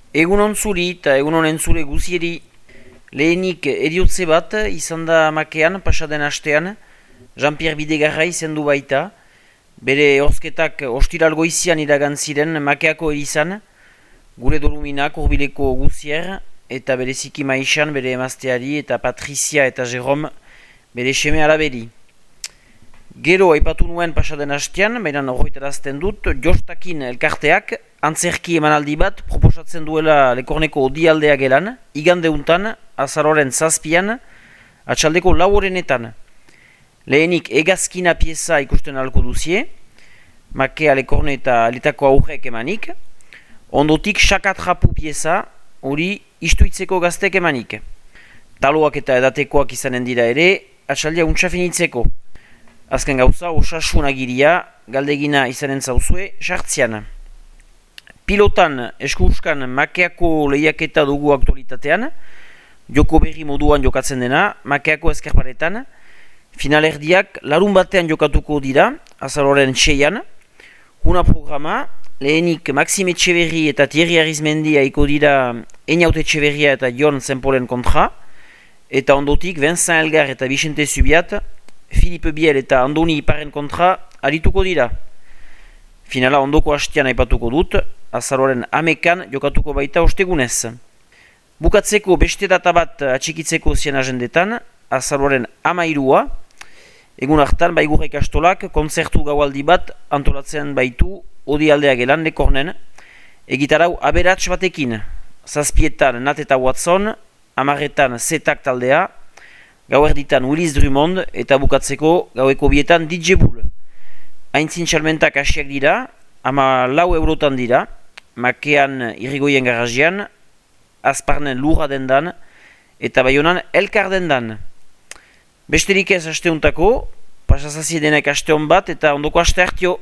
Egunon zuri eta egunon entzule guzieri. Lehenik eriotze bat izan da makean pasaden astean, Jean-Pierre Bidegarra izendu baita. Bere horzketak ostiral goizian iragan ziren makeako erizan, gure doluminak urbileko guzier, eta bereziki maisan bere emazteari eta Patricia eta Jerome bere seme alaberi. Gero aipatu nuen pasaden hastean, baina horretarazten dut, Jostakin elkarteak antzerki emanaldi bat proposatzen duela Lekorneko odialdea gelan, igandeuntan, azaroren 7an, atxaldeko 4:00. Lehenik egazkina pieza ikusten alko duzie, makea Lekorne eta letako aurrek emanik, ondotik xakatrapu pieza, hori istuitzeko gaztek emanik. Taloak eta edatekoak izanen dira ere, atxaldia untxafinitzeko. Azken gauza, osasun agiria, galdegina izanen zauzue, sartzian. Pilotan eskuskan makeako lehiaketa dugu aktualitatean, joko berri moduan jokatzen dena, makeako eskerparetan, finalerdiak larun batean jokatuko dira, azaroren 6an, huna programa, lehenik Maxime Etxeberri eta Thierry Arizmendi haiko dira Einaut Etxeberria eta Jon Zenpolen kontra, eta ondotik Vincent Elgar eta Vicente Zubiat, Philippe Biel eta Andoni Iparen kontra arituko dira. Finala ondoko hastean aipatuko dut, azaroren 11an jokatuko baita ostegunez. Bukatzeko beste data bat atxikitzeko zien agendetan, azaroren 13a, egun hartan Baigurra ikastolak kontzertu gaualdi bat antolatzen baitu odialdea gelan Lekornen, egitarau aberats batekin, 7etan Nat eta Watson, 10etan Zetak taldea, gauerditan Willis Drummond eta bukatzeko gaueko 2etan DJ Bull. Aintzin txalmentak hasiak dira, 14 eurotan dira, makean irrigoien garajian, Azparnen lurra dendan eta Baionan elkar dendan. Besterik ez asteuntako, pasazazie denek asteon bat eta ondoko aste hartio.